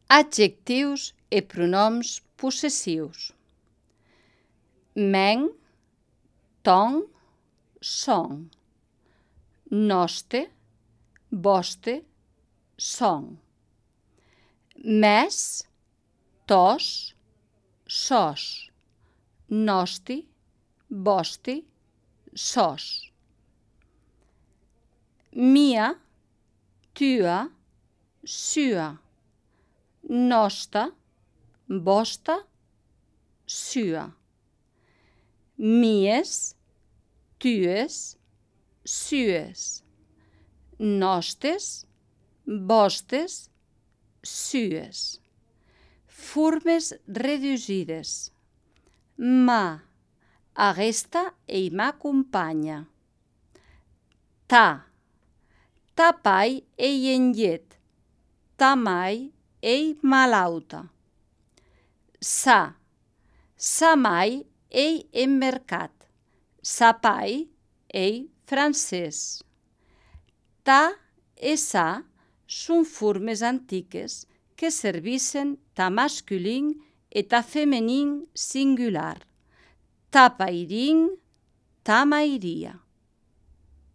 Adjectius e pronoms possessius. Men, ton, son. Noste, vostè, son. Mes, tos, sos. Nosti, vosti, sos. Mia, tua, sua. Nosta, vosta, sua. Mies, tues, sues. Nostes, vostes, sues. Formes reduïdes. Ma, aguesta ei ma companya. Ta, ta pai ei en llet. Ta mai ei malauta. Sa mai ei en mercat. Sa pai ei francès. Ta e sa son formes antiques que servissen ta masculin e ta feminin singular. Ta pairin, ta mairia.